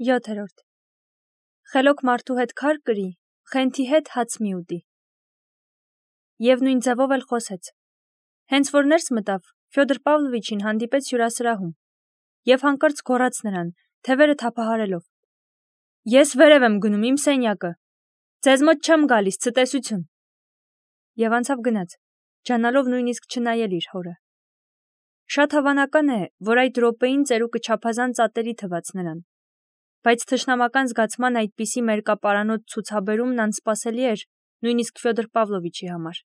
7. Խելոք մարդու հետ քար կրի, խենթի հետ հաց մի ուտի։ Եվ նույն ձևով էլ խոսեց։ Հենց որ ներս մտավ, Ֆյոդոր Պավլովիչին հանդիպեց հյուրասրահում եւ հանկարծ գոռաց նրան, թևերը թափահարելով. Ես վերև եմ գնում իմ սենյակը, ձեզ մոտ չեմ գալիս, ցտեսություն։ Եվ անցավ գնաց, ջանալով նույնիսկ չնայել իր հորը։ Շատ հավանական է, որ այդ րոպեին ծերուկը չափազանց ատելի թվաց նրան, բայց թշնամական զգացման այդպիսի մերկապարանոց ցուցաբերումն անսպասելի էր նույնիսկ Ֆյոդոր Պավլովիչի համար։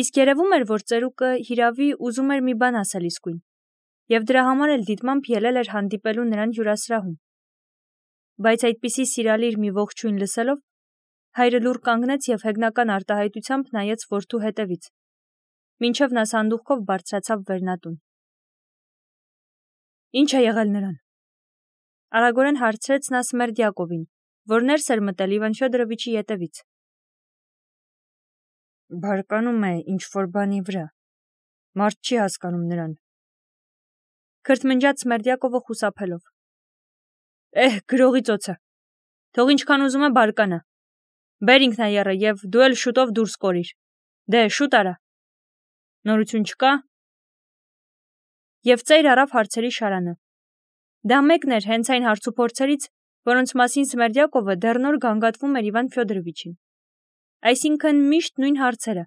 Իսկ երևում էր, որ ծերուկը հիրավի ուզում էր մի բան ասել իսկույն, եւ դրա համար էլ դիտմամբ ելել էր հանդիպելու նրան հյուրասրահում։ Բայց այդպիսի սիրալիր մի ողջույն լսելով, հայրը լուռ կանգնեց եւ հեգնական արտահայտությամբ նայեց որդու հետևից, մինչև նա սանդուղքով բարձրացավ վերնատուն։ Ինչ է եղել նրան։ Արագորեն հարցրեց նա Սմերդյակովին, որ ներս էր մտել Իվան Ֆյոդորովիչի ետևից։ Բարկանում է ինչ-որ բանի վրա, մարդ չի հասկանում նրան։ Քրթմնջաց Սմերդյակովը խուսափելով։ Գրողի ծոցը, թող ինչքան ուզում է բարկանա, բեր ինքնայեռը եւ դու էլ շուտով դուրս կորիր, դե շուտ արա, նորություն չկա։ Եվ ծայր առավ հարցերի շարանը։ Դա մեկն էր հենց այն հարցուփորձերից, որոնց մասին Սմերդյակովը դեռ նոր գանգատվում էր Իվան Ֆյոդորովիչին։ Այսինքն միշտ նույն հարցերը,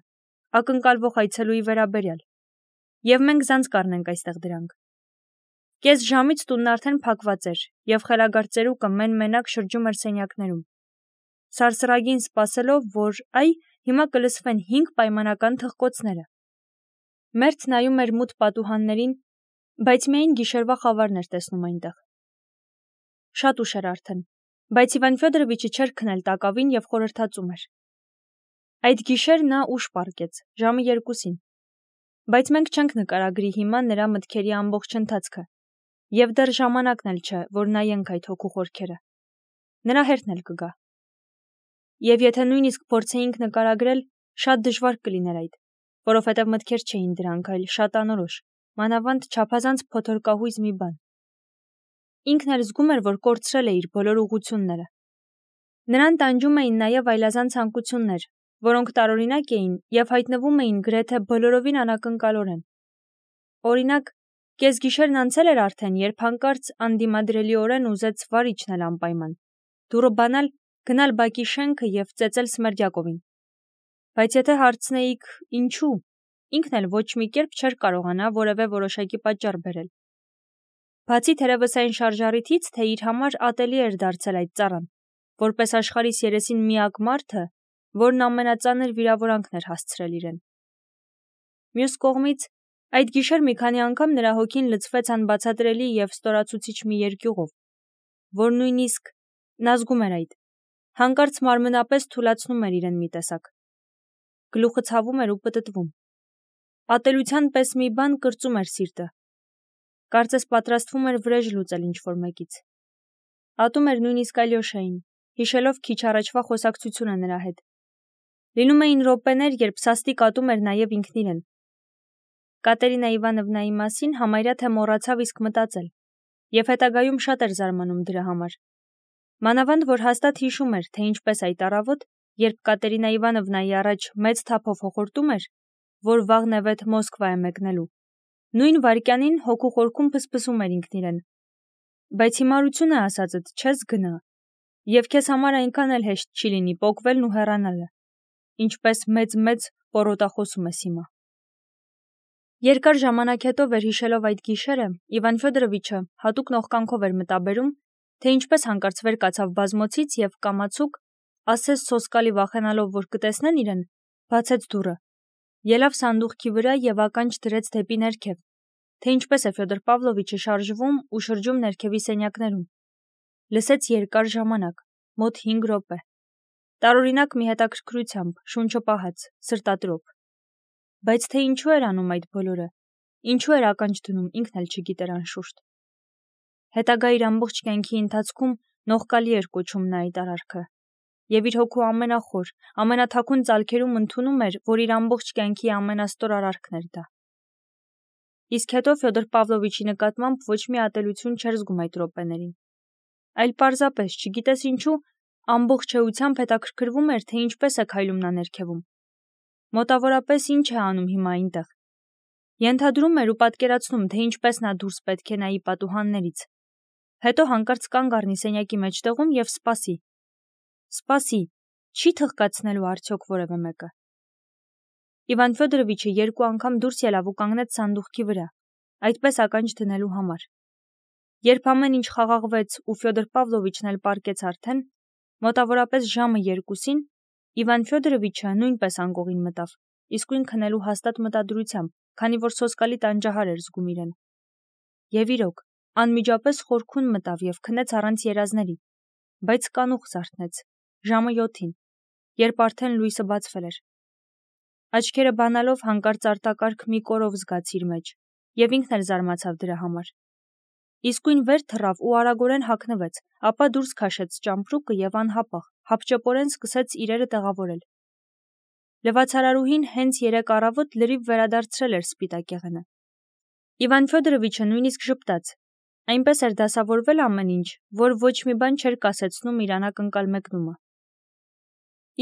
ակնկալվող այցելուի վերաբերյալ։ Եվ մենք զանց կառնենք այստեղ դրանք։ Կես ժամից տունն արդեն փակված էր, եւ խելագար ծերուկը մեն-մենակ շրջում էր սենյակներում, սարսռագին սպասելով, որ հիմա կլսվեն 5 պայմանական թխկոցները։ Մերթ նայում էր մութ պատուհաններին, բայց միայն գիշերվա խավարն էր տեսնում այնտեղ։ Շատ ուշ էր արդեն, բայց Իվան Ֆյոդորովիչը չէր քնել տակավին եւ խորհրդածում էր։ Այդ գիշեր նա ուշ պառկեց, ժամը 2-ին, բայց մենք չենք նկարագրի հիմա նրա մտքերի ամբողջ ընթացքը, եւ դեռ ժամանակն էլ չէ, որ նայենք այդ հոգու խորքերը։ Նրա հերթն էլ կգա։ Եվ եթե նույնիսկ փորձեինք նկարագրել, շատ դժվար կլիներ այդ, որովհետև մտքեր չէին դրանք, այլ շատ անորոշ, մանավանդ չափազանց փոթորկահույզ մի բան։ Ինքն էլ զգում էր, որ կորցրել է իր բոլոր ուղղությունները։ Նրան տանջում էին նաև այլազան ցանկություններ, որոնք տարօրինակ էին եւ հայտնվում էին գրեթե բոլորովին անակնկալորեն։ Օրինակ, կեսգիշերն անցել էր արդեն, երբ հանկարծ անդիմադրելիորեն ուզեց վար իջնել անպայման, դուռը բանալ, գնալ բակի շենքը եւ ծեծել Սմերդյակովին։ Բայց եթե հարցնեիք ինչու, ինքն էլ ոչ մի կերպ չէր կարողանա որևէ որոշակի պատճառ բերել։ Բացի թերևս այն շարժառիթից, թե իր համար ատելի էր դարձել այդ ծառան, որպես աշխարհիս երեսին միակ մարդը, որն ամենածանր վիրավորանքն էր հասցրել իրեն։ Մյուս կողմից, այդ գիշեր մի քանի անգամ նրա հոգին լցվեց անբացատրելի եւ ստորացուցիչ մի երկյուղով, որ նույնիսկ նա զգում էր այդ, հանկարծ մարմնապես թուլացնում էր իրեն մի տեսակ։ Գլուխը ցավում էր ու պտտվում։ Ատելության պես մի բան կրծում էր սիրտը։ Կարծես պատրաստվում էր վրեժ լուծել ինչ-որ մեկից։ Ատում էր նույնիսկ Ալյոշային, հիշելով քիչ առաջվա խոսակցությունը նրա հետ։ Լինում էին րոպեներ, երբ սաստիկ ատում էր նաև ինքն իրեն։ Կատերինա Իվանովնայի մասին համարյա թե մոռացավ իսկ մտածել, եւ հետագայում շատ էր զարմանում դրա համար։ Մանավանդ որ հաստատ հիշում էր, թե ինչպես այդ առավոտ, երբ Կատերինա Իվանովնայի առաջ մեծ թափով հոխորտում էր, որ վաղ նևեթ Մոսկվա է մեկնելու, նույն վայրկյանին հոգու խորքում փսփսում էր ինքն իրեն։ Բայց հիմարությունը ասածդ չես գնա, եւ քեզ համար այնքան էլ հեշտ չի լինի պոկվելն ու հեռանալը, ինչպես մեծ պորոտախոսում ես հիմա։ Երկար ժամանակ հետո վերհիշելով այդ գիշերը, Իվան Ֆյոդորովիչը հատուկ նողկանքով էր մտաբերում, թե ինչպես հանկարծ վեր կացավ բազմոցից եւ կամացուկ, ասես սոսկալի վախենալով, որ կտեսնեն իրեն, բացեց դուռը, ելավ սանդուղքի վրա եւ ականջ դրեց դեպի ներքև, թե ինչպես է Ֆյոդոր Պավլովիչը շարժվում ու շրջում ներքևի սենյակներում։ Լսեց երկար ժամանակ, մոտ 5 րոպե։ Տարօրինակ մի հետաքրքրությամբ, շունչը պահած, սրտատրոփ։ Բայց թե ինչու էր անում այդ բոլորը, ինչու էր ականջ դնում, ինքն էլ չգիտեր անշուշտ։ Հետագա իր ամբողջ կյանքի ընթացքում նողկալի էր կոչում նա այդ արարքը, եւ իր հոգու ամենախոր, ամենաթաքուն ծալքերում ընդունում էր, որ իր ամբողջ կյանքի ամենաստոր արարքն էր դա։ Իսկ հետո Ֆյոդոր Պավլովիչի նկատմամբ ոչ մի ատելություն չէր զգում այդ րոպեներին։ այլ պարզապես, չգիտես ինչու, ամբողջ էությամբ հետաքրքրվում էր, թե ինչպես է քայլում նա ներքևում։ Մոտավորապես ինչ է անում հիմա այնտեղ։ Ենթադրում էր ու պատկերացնում, թե ինչպես նա դուրս պետք է նայի պատուհաններից։ Հետո հանկարծ կանգ առնի սենյակի մեջտեղում և սպասի։ Սպասի, չի թխկացնելու արդյոք որևէ մեկը։ Իվան Ֆյոդորովիչը 2 անգամ դուրս ելավ ու կանգնեց սանդուղքի վրա, այդպես ականջ դնելու համար։ Երբ ամեն ինչ խաղաղվեց ու Ֆյոդոր Պավլովիչն էլ պառկեց արդեն, մոտավորապես ժամը 2-ին, Իվան Ֆյոդորովիչը նույնպես անկողին մտավ, իսկույն քնելու հաստատ մտադրությամբ, քանի որ սոսկալի տանջահար էր զգում իրեն։ Եվ իրոք, անմիջապես խորքուն մտավ և քնեց առանց երազների, բայց կանուխ զարթնեց, ժամը 7-ին, երբ արդեն լույսը բացվել էր։ Աչքերը բանալով հանկարծ արտակարգ մի կորով զգաց իր մեջ, և ինքն էլ զարմացավ դրա համար։ Իսկույն վեր թռավ ու արագորեն հագնվեց, ապա դուրս քաշեց ճամպրուկը և անհապաղ, հապճեպորեն սկսեց իրերը տեղավորել։ Լվացարարուհին հենց 3 առավոտ լրիվ վերադարձրել էր սպիտակ եղենը։ Իվան Ֆյոդորովիչը նույնիսկ ժպտաց, այնպես էր դասավորվել ամեն ինչ, որ ոչ մի բան չէր կասեցնում իր անակնկալ մեկնումը։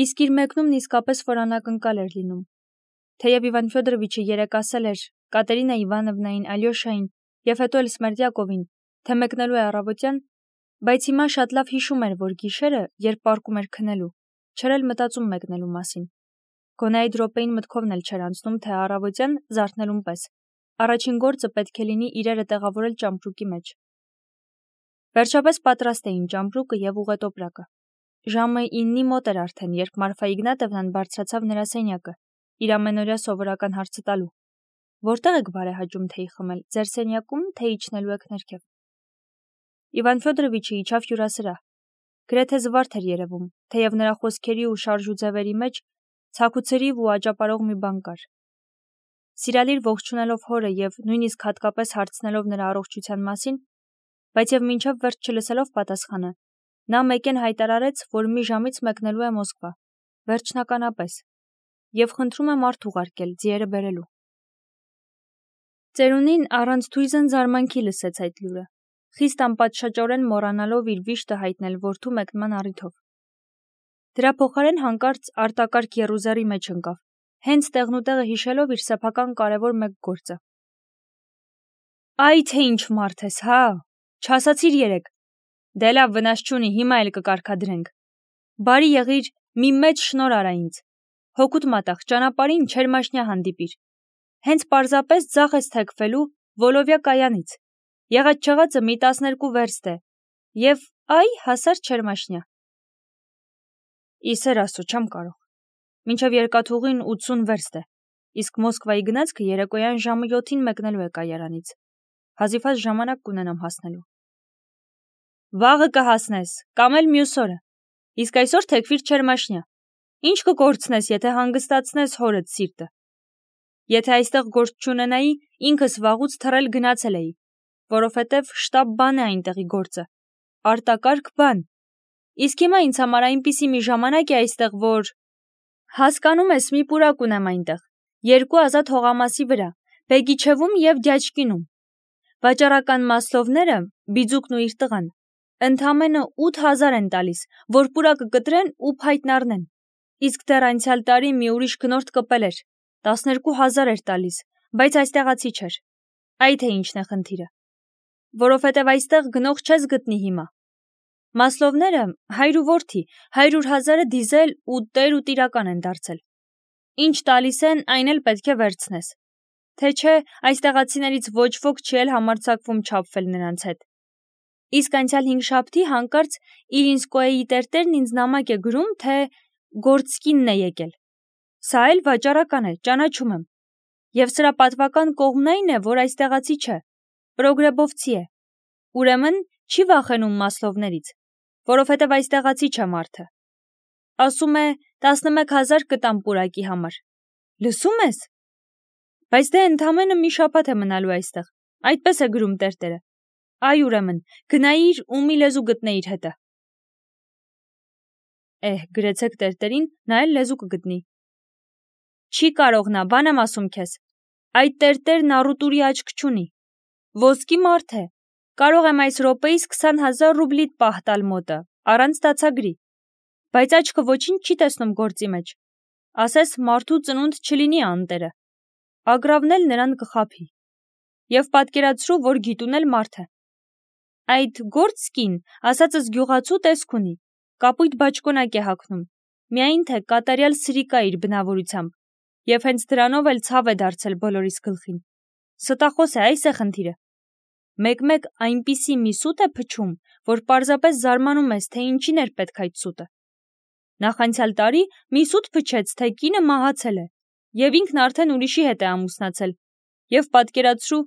Իսկ իր մեկնումն իսկապես որ անակնկալ էր լինում։ Թեև Իվան Ֆյոդորովիչը երեկ ասել էր Կատերինա Իվանովնային, Ալյոշային և հետո էլ Սմերդյակովին, թե մեկնելու է առավոտյան, բայց հիմա շատ լավ հիշում էր, որ գիշերը, երբ պառկում էր քնելու, չէր էլ մտածում մեկնելու մասին։ Գոնե այդ րոպեին մտքովն էլ չէր անցնում, թե առավոտյան, զարթնելուն պես, առաջին գործը պետք է լինի իրերը տեղավորել ճամպրուկի մեջ։ Վերջապես պատրաստ էին ճամպրուկը և ուղետոպրակը։ Ժամը 9-ի մոտ էր արդեն, երբ Մարֆա Իգնատովնան բարձրացավ նրա սենյակը, իր ամենօրյա սովորական հարցը տալու. «Որտե՞ղ եք բարեհաճում թեյ խմել, ձեր սենյակում, թե իջնելու եք ներքև»։ Իվան Ֆյոդորովիչը իջավ հյուրասրահ։ Գրեթե զվարթ էր երևում, թեև նրա խոսքերի ու շարժու ձևերի մեջ ցաքուցրիվ ու աճապարող մի բան կար։ Սիրալիր ողջունելով հորը և նույնիսկ հատկապես հարցնելով նրա առողջության մասին, բայց և մինչև վերջ չլսելով պատասխանը, նա մեկեն հայտարարեց, որ մի ժամից մեկնելու է Մոսկվա, վերջնականապես, և խնդրում է մարդ ուղարկել ձիերը բերելու։ Ծերունին առանց թույզն զարմանքի լսեց այդ լուրը, խիստ անպատշաճորեն մոռանալով իր վիշտը հայտնել որդու մեկնման առիթով։ Դրա փոխարեն հանկարծ արտակարգ եռուզեռի մեջ ընկավ, հենց տեղնուտեղը հիշելով իր սեփական կարևոր մեկ գործը։ Այ թե ինչ մարդ ես, հա, չասացիր երեկ։ Դե լավ, վնաս չունի, հիմա էլ կկարգադրենք։ Բարի եղիր, մի մեծ շնոր արա ինձ։ Հոգուտ մատաղ, ճանապարհին Չերմաշնյա հանդիպիր։ Հենց պարզապես ձախ ես թեքվելու Վոլովյա կայանից։ Եղած-չեղածը մի 12 վերստ է։ Եվ այ հասար Չերմաշնյա։ Իսեր աստծո, չեմ կարող։ Մինչև երկաթուղին 80 վերստ է, իսկ Մոսկվայի գնացքը երեկոյան ժամը 7-ին մեկնելու է կայարանից։ Հազիվհազ ժամանակ կունենամ հասնելու։ Վաղը կհասնես, կամ էլ մյուս օրը։ Իսկ այսօր թեքվիր Չերմաշնյա։ Ինչ կկորցնես, եթե հանգստացնես հորդ սիրտը։ Եթե այստեղ գործ չունենայի, ինքս վաղուց թռել գնացել էի, որովհետև շտապ բան է այնտեղի գործը։ Արտակարգ բան։ Իսկ հիմա ինձ համար այնպիսի մի ժամանակ է այստեղ, որ… Հասկանում ես, մի պուրակ ունեմ այնտեղ, 2 ազատ հողամասի վրա, Բեգիչևում և Դյաչկինում։ Վաճառական մասլովները, Բիձուկն ու իր տղան, ընդամենը 8000 են տալիս, որ պուրակը կտրեն ու փայտն առնեն։ Իսկ դեռ անցյալ տարի մի ուրիշ գնորդ կպել էր, 12000 էր տալիս, բայց այստեղացի չէր։ Այ թե ինչն է խնդիրը։ Որովհետև այստեղ գնող չես գտնի հիմա։ Մասլովները, հայր ու որդի, 100,000-ը դիզել ու տեր ու տիրական են դարձել։ Ինչ տալիս են, այն էլ պետք է վերցնես։ Թե չէ, այստեղացիներից ոչ ոք չի էլ համարձակվում չափվել նրանց հետ։ Իսկ անցյալ 5 շաբթի հանկարծ Իլինսկոյեի տերտերն ինձ նամակ է գրում, թե Գորցկինն է եկել։ Սա էլ վաճառական է, ճանաչում եմ։ Եվ սրա պատվական կողմն այն է, որ այստեղացի չէ, պրոգրեբովցի է։ Ուրեմն չի վախենում մասլովներից, որովհետև այստեղացի չէ մարդը։ Ասում է 11000 կտամ պուրակի համար։ Լսում ես։ Բայց դե ընդամենը մի շաբաթ է մնալու այստեղ, այդպես է գրում տերտերը։ Այ ուրեմն, գնայիր ու մի լեզու գտնեիր հետը։ Գրեցեք տերտերին, նա էլ լեզու կգտնի։ Չի կարող նա, բան եմ ասում քեզ։ Այդ տերտերն առուտուրի աչք չունի։ Ոսկի մարդ է, Կարող եմ այս րոպեիս 20,000 ռուբլիդ պահ տալ մոտը, առանց դացագրի, բայց աչքը ոչինչ չի տեսնում գործի մեջ, ասես մարդու ծնունդ չլինի անտերը, ագրավն էլ նրան կխաբի, և պատկերացրու, որ գիտուն էլ մարդ է, այդ գործկին, ասածս գյուղացու տեսք ունի, կապույտ բաճկոնակ է հագնում, միայն թե կատարյալ սրիկա իր բնավորությամբ, և հենց դրանով էլ ցավ է դարձել բոլորիս գլխին, ստախոս է, այս է խնդիրը, մեկ-մեկ այնպիսի մի սուտ է փչում, որ պարզապես զարմանում ես, թե ինչին էր պետք այդ սուտը, նախանցյալ տարի մի սուտ փչեց, թե կինը մահացել է, և ինքն արդեն ուրիշի հետ է ամուսնացել, և պատկերացրու,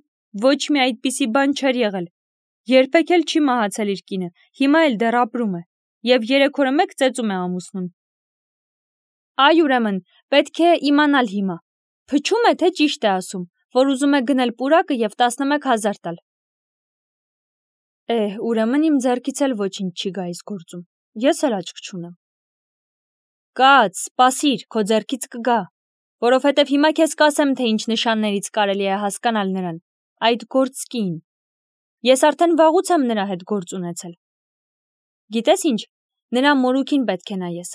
ոչ մի այդպիսի բան չէր եղել, երբեք էլ չի մահացել իր կինը, հիմա էլ դեռ ապրում է, և 3 օրը մեկ ծեծում է ամուսնուն։ Այ ուրեմն, պետք է իմանալ հիմա, փչում է, թե ճիշտ է ասում, որ ուզում է գնել պուրակը և 11,000 տալ։ Ուրեմն իմ ձեռքից էլ ոչինչ չի գա այս գործում, ես էլ աչք չունեմ։ Կաց, սպասիր, քո ձեռքից կգա, որովհետև հիմա քեզ կասեմ, թե ինչ նշաններից կարելի է հասկանալ նրան, այդ գործկին։ Ես արդեն վաղուց եմ նրա հետ գործ ունեցել։ Գիտես ինչ, նրա մորուքին պետք է նայես։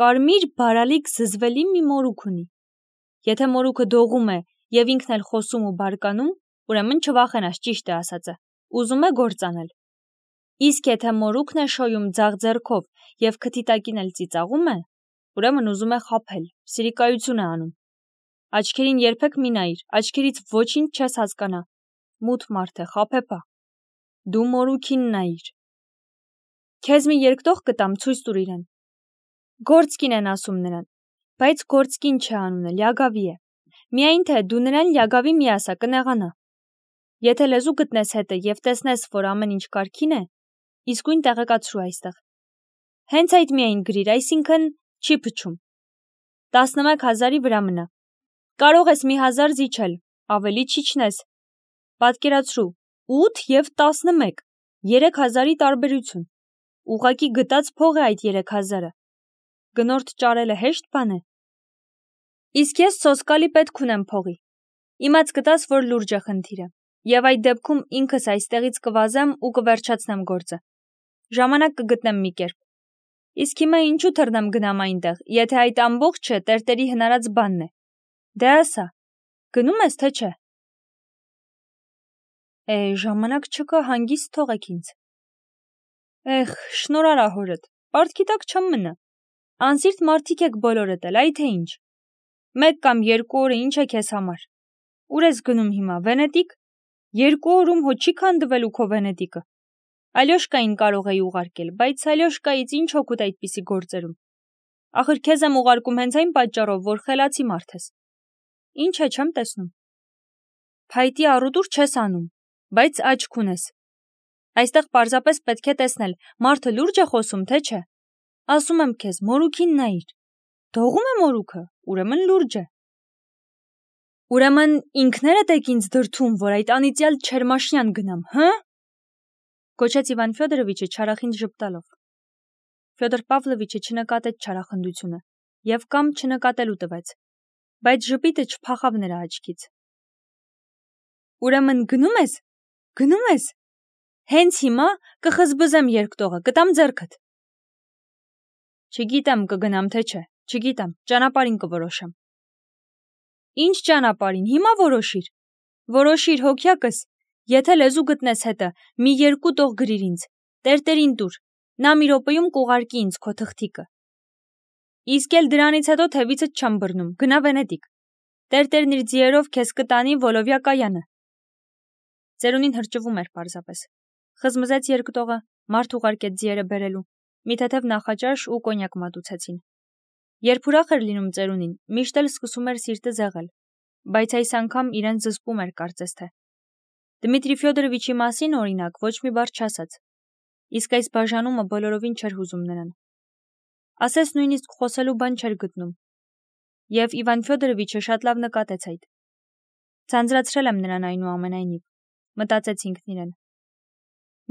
Կարմիր բարալիկ զզվելի մի մորուք ունի։ Եթե մորուքը դողում է և ինքն էլ խոսում ու բարկանում, ուրեմն չվախենաս, ճիշտ է ասածը, ուզում է գործ անել։ Իսկ եթե մորուքն է շոյում ձախ ձեռքով և քթի տակին էլ ծիծաղում է, ուրեմն ուզում է խաբել, սրիկայություն է անում։ Աչքերին երբեք մի նայիր, աչքերից ոչինչ չես հասկանա։ Մութ մարդ է, խաբեբա։ Դու մորուքին նայիր։ Քեզ մի երկտող կտամ, ցույց տուր իրեն։ Գործկին են ասում նրան, բայց գործկին չէ անունը, լյագավի է։ Միայն թե դու նրան լյագավի մի ասա, կնեղանա։ Եթե լեզու գտնես հետը և տեսնես, որ ամեն ինչ կարգին է, իսկույն տեղեկացրու այստեղ։ Հենց այդ միայն գրիր, այսինքն չի փչում։ 11,000-ի վրա մնա։ Կարող ես մի 1000 զիջել, ավելի չիջնես։ Պատկերացրու, 8 և 11, 3,000-ի տարբերություն։ Ուղղակի գտած փող է այդ 3,000-ը։ Գնորդ ճարելը հեշտ բան է։ Իսկ ես սոսկալի պետք ունեմ փողի։ Իմաց գտաս, որ լուրջ է խնդիրը, և այդ դեպքում ինքս այստեղից կվազեմ ու կվերջացնեմ գործը։ Ժամանակ կգտնեմ մի կերպ։ Իսկ հիմա ինչու թռնեմ գնամ այնտեղ, եթե այդ ամբողջը տերտերի հնարած բանն է։ Դե ասա, գնում ես, թե չէ։ Ժամանակ չկա, հանգիստ թողեք ինձ։ Շնորհարա հորդ, պարտքի տակ չեմ մնա։ Անսիրտ մարդիկ եք բոլորդ էլ, այ թե ինչ։ 1 կամ 2 օրը ինչ է քեզ համար։ Ուր ես գնում հիմա, Վենետիկ։ 2 օրում հո չի քանդվելու քո Վենետիկը։ Ալյոշկային կարող էի ուղարկել, բայց Ալյոշկայից ինչ օգուտ այդպիսի գործերում։ Ախր քեզ եմ ուղարկում հենց այն պատճառով, որ խելացի մարդ ես։ Ինչ է, չեմ տեսնում։ Փայտի առուտուր չես անում, բայց աչք ունես։ Այստեղ պարզապես պետք է տեսնել, մարդը լուրջ է խոսում, թե չէ։ Ասում եմ քեզ, մորուքին նայիր։ Դողում է մորուքը, ուրեմն լուրջ է։ Ուրեմն ինքներդ եք ինձ դրդում, որ այդ անիծյալ Չերմաշյան գնամ, հը՞։ Կոչեց Իվան Ֆյոդորովիչը չարախինդ ժպտալով։ Ֆյոդոր Պավլովիչը չնկատեց չարախնդությունը և կամ չնկատելու տվեց, բայց ժպիտը չփախավ նրա աչքից։ Ուրեմն գնում ես։ Գնում ես։ Հենց հիմա կխզբզեմ երկտողը, կտամ ձեռքդ։ Չգիտեմ կգնամ թե չէ, չգիտեմ, ճանապարհին կորոշեմ։ Ինչ ճանապարհին, հիմա որոշիր։ Որոշիր հոգյակս, եթե լեզու գտնես հետը, մի 2 տող գրիր ինձ, տերտերին տուր, նա մի րոպեում կուղարկի ինձ քո թղթիկը։ Իսկ էլ դրանից հետո թևիցդ չեմ բռնում, գնա Վենետիկ։ Տերտերն իր ձիերով քեզ կտանի Վոլովյա կայանը։ Ծերունին հրճվում էր պարզապես։ Խզմզեց երկտողը, մարդ ուղարկեց ձիերը բերելու, մի թեթև նախաճաշ ու կոնյակ մատուցեցին։ Երբ ուրախ էր լինում ծերունին, միշտ էլ սկսում էր սիրտը զեղել, բայց այս անգամ իրեն զսպում էր կարծես թե։ Դմիտրի Ֆյոդորովիչի մասին, օրինակ, ոչ մի բառ չասաց։ Իսկ այս բաժանումը բոլորովին չէր հուզում նրան։ Ասես նույնիսկ խոսելու բան չէր գտնում։ Եվ Իվան Ֆյոդորովիչը շատ լավ նկատեց այդ։ Ձանձրացրել եմ նրան այնուամենայնիվ, մտածեց ինքն իրեն։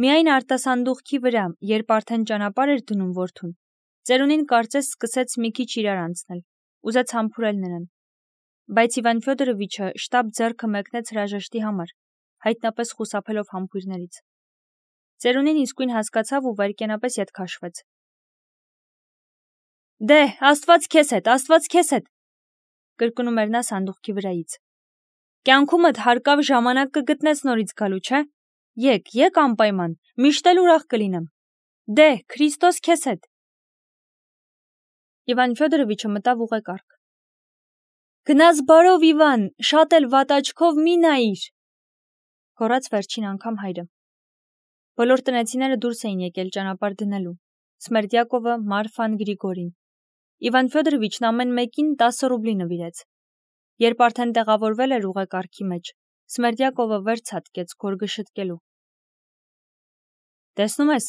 Միայն արտասանդուղքի վրա, երբ արդեն ճանապարհ էր դնում որդուն, ծերունին կարծես սկսեց մի քիչ իրար անցնել, ուզեց համբուրել նրան։ Բայց Իվան Ֆյոդորովիչը շտապ ձեռքը մեկնեց հրաժեշտի համար, հայտնապես խուսափելով համբույրներից։ Ծերունին իսկույն հասկացավ ու վայրկենապես ետ քաշվեց։ Դե, Աստված քեզ հետ, կրկնում էր նա սանդուղքի վրայից։ Կյանքումդ հարկավ ժամանակ կգտնես նորից գալու, չէ՞։ Եկ անպայման, միշտ էլ ուրախ կլինեմ։ Դե, Քրիստոս քեզ հետ։ Իվան Ֆյոդորովիչը մտավ ուղեկարգ։ Գնաս բարով, Իվան, շատ էլ վատ աչքով մի նայիր, գոռաց վերջին անգամ հայրը։ Բոլոր տնեցիները դուրս էին եկել ճանապարհ դնելու։ Սմերդյակովը, Մարֆան, Գրիգորին։ Իվան Ֆյոդորովիչն ամեն մեկին 10 ռուբլի նվիրեց։ Երբ արդեն տեղավորվել էր ուղեկարգի մեջ, Սմերդյակովը վեր ցատկեց գորգը շտկելու։ Տեսնում ես,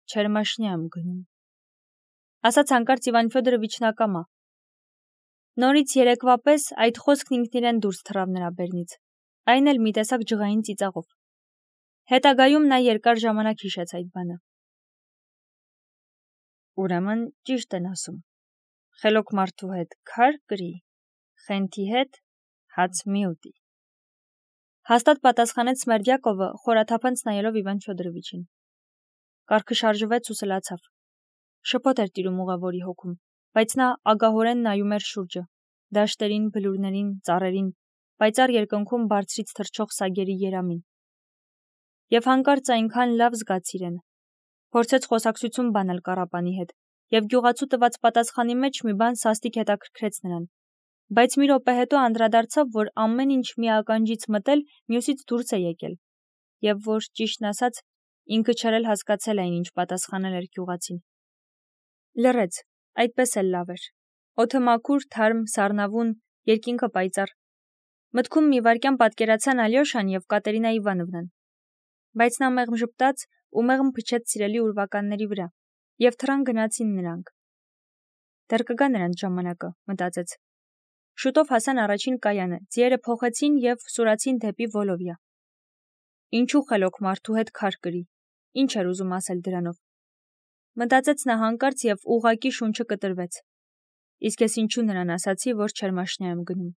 Չերմաշնյա եմ գնում, ասաց հանկարծ Իվան Ֆյոդորովիչն ակամա։ Նորից երեկվա պես այդ խոսքն ինքն իրեն դուրս թռավ նրա բերնից, այն էլ մի տեսակ ջղային ծիծաղով։ Հետագայում նա երկար ժամանակ հիշեց այդ բանը։ Ուրեմն ճիշտ են ասում. խելոք մարդու հետ քար կրի, խենթի հետ հաց մի ուտի։ Հաստատ պատասխանեց Սմերդյակովը, խորաթափանց նայելով Իվան Ֆյոդորովիչին։ Կառքը շարժվեց ու սլացավ։ Շփոթ էր տիրում ուղևորի հոգում, բայց նա ագահորեն նայում էր շուրջը, դաշտերին, բլուրներին, ծառերին, պայծառ երկնքում բարձրից թռչող սագերի երամին։ Եվ հանկարծ այնքան լավ զգաց իրեն։ Փորձեց խոսակցություն բանել կառապանի հետ, եւ գյուղացու տված պատասխանի մեջ մի բան սաստիկ հետաքրքրեց նրան։ Բայց մի րոպե հետո անդրադարձավ, որ ամեն ինչ մի ականջից մտել, մյուսից դուրս է եկել, եւ որ, ճիշտն ասած, ինքը չէր էլ հասկացել այն, ինչ պատասխանել էր գյուղացին։ Լռեց, այդպես էլ լավ էր։ Օդը մաքուր, թարմ, սառնավուն, երկինքը պայծառ։ Մտքում մի վայրկյան պատկերացան Ալյոշան եւ Կատերինա Իվանովնան։ Բայց նա մեղմ ժպտաց ու մեղմ փչեց սիրելի ուրվականների վրա, եւ թռան գնացին նրանք։ Դեռ կգա նրանց ժամանակը, մտածեց։ Շուտով հասան առաջին կայանը, ձիերը փոխեցին եւ սուրացին դեպի Վոլովիա։ Ինչու խելոք մարդու հետ քար կրի, ինչ էր ուզում ասել դրանով։ Մտածեց նա հանկարծ եւ ուղակի շունչը կտրվեց։ Իսկ ես ինչու նրան ասացի, որ Չերմաշնյա եմ գնում։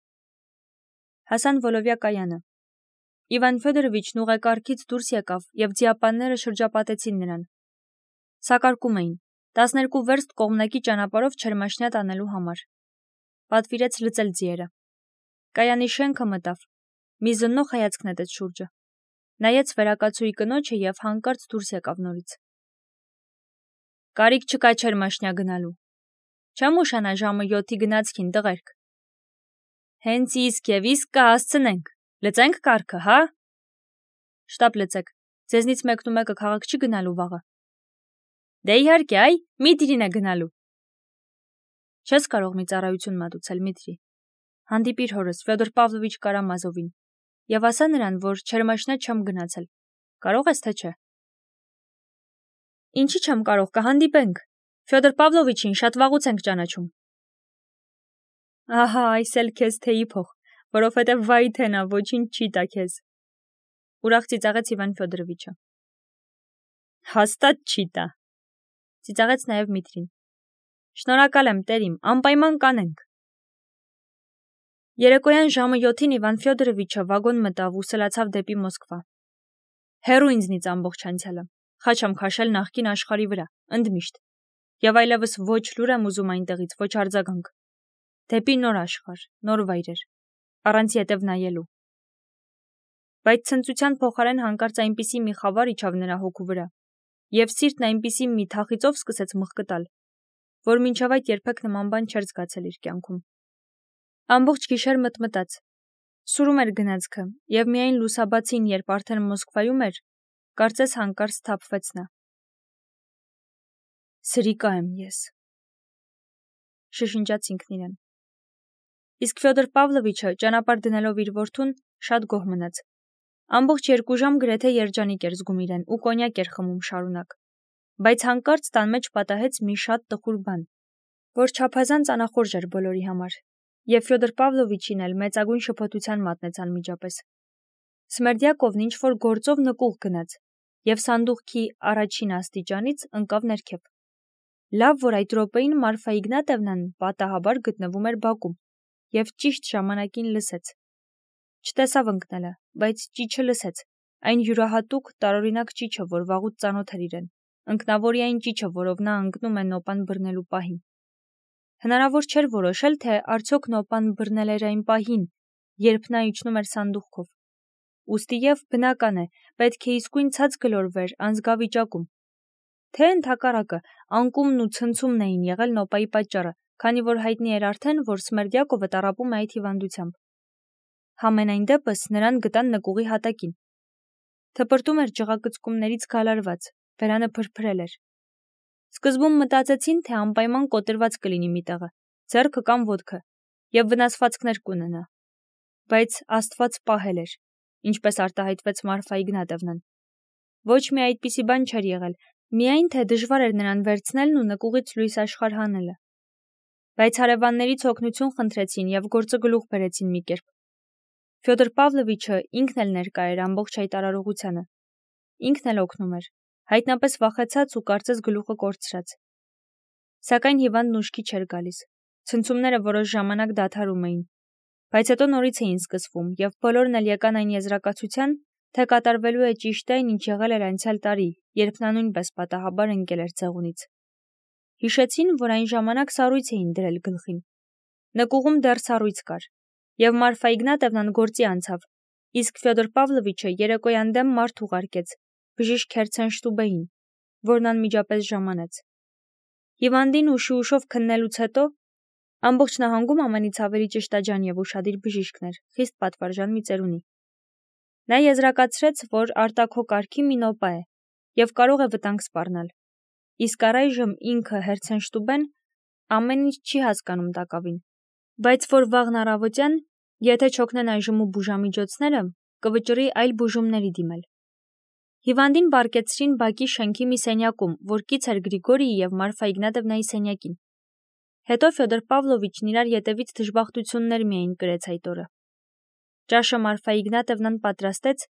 Հասան Վոլովիա կայանը։ Իվան Ֆյոդորովիչն ուղեկարգից դուրս եկավ եւ ձիապանները շրջապատեցին նրան։ Սակարկում էին 12 վերստ կողմնակի ճանապարհով Չերմաշնյա տանելու համար։ Պատվիրեց լծել ձիերը։ Կայանի շենքը մտավ։ Մի զննող հայացք նետեց շուրջը։ Նայեց վերակացուի կնոջը եւ հանկարծ դուրս եկավ նորից։ Կարիք չկա Չերմաշնյա գնալու։ Չեմ ուշանա ժամը 7-ի գնացքին, տղերք։ Հենց իսկ կհասցնենք։ Լծենք կառքը, հա։ Շտապ լծեք։ Ձեզնից մեկն ու մեկը քաղաք չի գնալու վաղը։ Դե իհարկե, այ, Միտրին է գնալու։ Չես կարող մի ծառայություն մատուցել, Միտրի։ Հանդիպիր հորս Ֆյոդոր Պավլովիչ Կարամազովին եւ ասա նրան, որ Չերմաշնյա չեմ գնացել։ Կարող ես թե չէ։ Ինչի չեմ կարող, կհանդիպենք։ Ֆյոդոր Պավլովիչին շատ վաղուց ենք ճանաչում։ Ահա, այս էլ քեզ թեյի փող, որովհետև վայ թե նա ոչինչ չի տա քեզ։ Ուրախ ծիծաղեց Իվան Ֆյոդորովիչը։ Հաստատ չի տա։ Ծիծաղեց նաև Միտրին։ Շնորհակալ եմ, տերիմ, անպայման կանենք։ Երեկոյան ժամը 7-ին Իվան Ֆյոդորովիչը վագոն մտավ ու սլացավ դեպի Մոսկվա։ Հեռու ինձնից ամբողջ անցյալը, խաչ եմ քաշել նախկին աշխարհի վրա, ընդմիշտ։ Եվ այլևս ոչ լուր եմ ուզում այնտեղից, ոչ արձագանք։ Դեպի նոր աշխարհ, նոր վայրեր, առանց ետև նայելու։ Բայց ցնծության փոխարեն հանկարծ այնպիսի մի խավար իջավ նրա հոգու վրա, եւ սիրտն այնպիսի մի թախիծով սկսեց մխկտալ, որ մինչև այդ երբեք նման բան չէր զգացել իր կյանքում։ Ամբողջ գիշեր մտմտաց։ Սուրում էր գնացքը, եւ միայն լուսաբացին, երբ արդեն Մոսկվայում էր, կարծես հանկարծ սթափվեց նա։ Սրիկա եմ ես, շշնջաց ինքն իրեն։ Իսկ Ֆյոդոր Պավլովիչը ճանապարհ դնելով իր որդուն շատ գոհ մնաց։ Ամբողջ 2 ժամ գրեթե երջանիկ էր զգում իրեն ու կոնյակ էր խմում շարունակ։ Բայց հանկարծ տան մեջ պատահեց մի շատ տխուր բան, որ չափազանց անախորժ էր բոլորի համար, եւ Ֆյոդոր Պավլովիչին էլ մեծագույն շփոթության մատնեց անմիջապես։ Սմերդյակովն ինչ-որ գործով նկուղ գնաց եւ սանդուղքի առաջին աստիճանից ընկավ ներքև։ Լավ, որ այդ րոպեին Մարֆա Իգնատևնան պատահաբար գտնվում էր բակում եւ ճիշտ ժամանակին լսեց։ Չտեսավ ընկնելը, բայց ճիչը լսեց, այն յուրահատուկ տարօրինակ ճիչը, որ վաղուց ծանոթ էր իրեն, ընկնավորի այն ճիչը, որով նա ընկնում է նոպան բռնելու պահին։ Հնարավոր չէր որոշել, թե արդյոք նոպան բռնել էր այն պահին, երբ նա իջնում էր սանդուղքով։ Ուստի և բնական է, պետք է իսկույն ցած գլորվեր անզգավիճակում։ Թե ընդհակառակը անկումն ու ցնցումն էին եղել նոպայի պատճառը, քանի որ հայտնի էր արդեն, որ Սմերդյակովը տառապում է այդ հիվանդությամբ։ Համենայն դեպս նրան գտան նկուղի հատակին։ Թպրտում էր ջղակծկումներից գալարված, բերանը փրփրել էր։ Սկզբում մտածեցին, թե անպայման կոտրված կլինի մի տեղը, ձեռքը կամ ոտքը, և վնասվածքներ կունենա։ Բայց Աստված պահել էր, ինչպես արտահայտվեց Մարֆա Իգնատովնան։ Ոչ մի այդպիսի բան չէր եղել, միայն թե դժվար էր նրան վերցնելն ու նկուղից լույս աշխարհ հանելը։ Բայց հարևաններից օգնություն խնդրեցին և գործը գլուխ բերեցին մի կերպ։ Ֆյոդոր Պավլովիչը ինքն էլ ներկա էր ամբողջ այդ արարողությանը։ Ինքն էլ օգնում էր, հայտնապես վախեցած ու կարծես գլուխը կորցրած։ Սակայն հիվանդն ուշքի չէր գալիս։ Ցնցումները որոշ ժամանակ դադարում էին, բայց հետո նորից էին սկսվում, և բոլորն էլ եկան այն եզրակացության, թե կատարվելու է ճիշտ այն, ինչ եղել էր անցյալ տարի, երբ նա նույնպես պատահաբար ընկել էր ցեղունից։ Հիշեցին, որ այն ժամանակ սառույց էին դրել գլխին։ Նկուղում դեռ սառույց կար, և Մարֆա Իգնատովնան գործի անցավ, իսկ Ֆյոդոր Պավլովիչը երեկոյան դեմ մարդ ուղարկեց բժիշկ Քերցենշտուբեին, որն անմիջապես ժամանեց։ Հիվանդին ուշի-ուշով քննելուց հետո ամբողջ նահանգում ամենից ավելի ճշտաջան և ուշադիր բժիշկն էր, խիստ պատվարժան մի ծերունի։ Նա եզրակացրեց, որ արտաքո կարգի մի նոպա է և կարող է վտանգ սպառնալ, իսկ առայժմ ինքը Հերցենշտուբեն ամեն ինչ չի հասկանում տակավին, բայց որ վաղն առավոտյան, եթե չօգնեն այժմու բուժամիջոցները, կվճռի այլ բուժումների դիմել։ Հիվանդին բարկեցրին բակի շենքի մի սենյակում, որ կից էր Գրիգորիի և Մարֆա Իգնատովնայի սենյակին։ Հետո Ֆյոդոր Պավլովիչն իրար ետևից դժբախտություններ միայն կրեց այդ օրը։ Ճաշը Մարֆա Իգնատովնան պատրաստեց,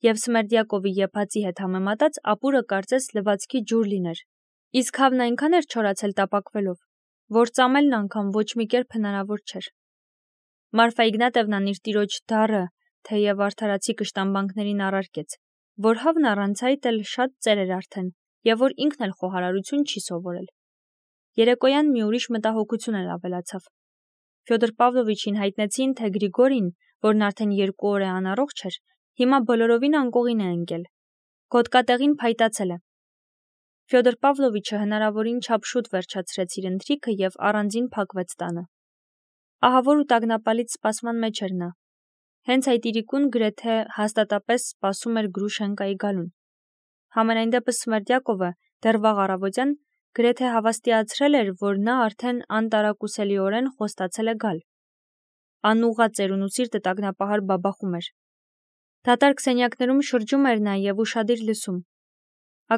և Սմերդյակովի եփածի հետ համեմատած ապուրը կարծես լվացքի ջուր լիներ, իսկ հավն այնքան էր չորացել տապակվելով, որ ծամելն անգամ ոչ մի կերպ հնարավոր չէր։ Մարֆա Իգնատովնան իր տիրոջ դառը, թեև արդարացի կշտամբանքներին առարկեց, որ հավն առանց այդ էլ շատ ծեր էր արդեն, և որ ինքն էլ խոհարարություն չի սովորել։ Երեկոյան մի ուրիշ մտահոգություն էլ ավելացավ։ Ֆյոդոր Պավլովիչին հայտնեցին, թե Գրիգորին, որն արդեն 2 օր է անառողջ էր, հիմա բոլորովին անկողին է ընկել։ Գոտկատեղին փայտացել է։ Ֆյոդոր Պավլովիչը հնարավորին չափ շուտ վերջացրեց իր ընթրիքը և առանձին փակվեց տանը։ Ահավոր ու տագնապալից սպասման մեջ էր նա։ Հենց այդ իրիկուն գրեթե հաստատապես սպասում էր Գրուշենկայի գալուն։ Համենայն դեպս Սմերդյակովը դեռ վաղ առավոտյան գրեթե հավաստիացրել էր, որ նա արդեն անտարակուսելիորեն խոստացել է գալ։ Անուղղա ծերունու սիրտը տագնապահար բաբախում էր։ Դատարկ սենյակներում շրջում էր նա և ուշադիր լսում։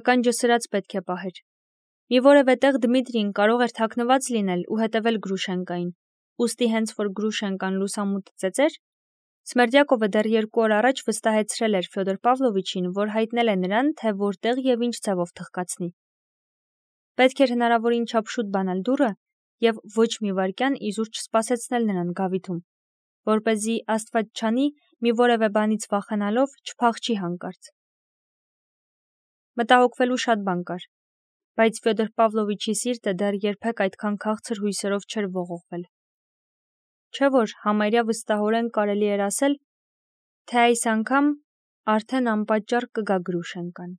Ականջը սրած պետք է պահեր։ Մի որևէ տեղ Դմիտրին կարող էր թաքնված լինել ու հետևել Գրուշենկային, ուստի հենց որ Գրուշենկան լուսամուտ ծեծեր, Սմերդյակովը դեռ 2 օր առաջ վստահեցրել էր Ֆյոդոր Պավլովիչին, որ հայտնել է նրան, թե որտեղ և ինչ ձևով թխկացնի։ Պետք էր հնարավորին չափ շուտ բանալ դուռը և ոչ մի վայրկյան իզուր չսպասեցնել նրան գավիթում, որպեսզի Աստված չանի, մի որևէ բանից վախենալով չփախչի հանկարծ։ Մտահոգվելու շատ բան կար, բայց Ֆյոդոր Պավլովիչի սիրտը դեռ երբեք այդքան քաղցր հույսերով չէր ողողվել։ Չէ՞ որ համարյա վստահորեն կարելի էր ասել, թե այս անգամ արդեն անպատճառ կգա Գրուշենկան։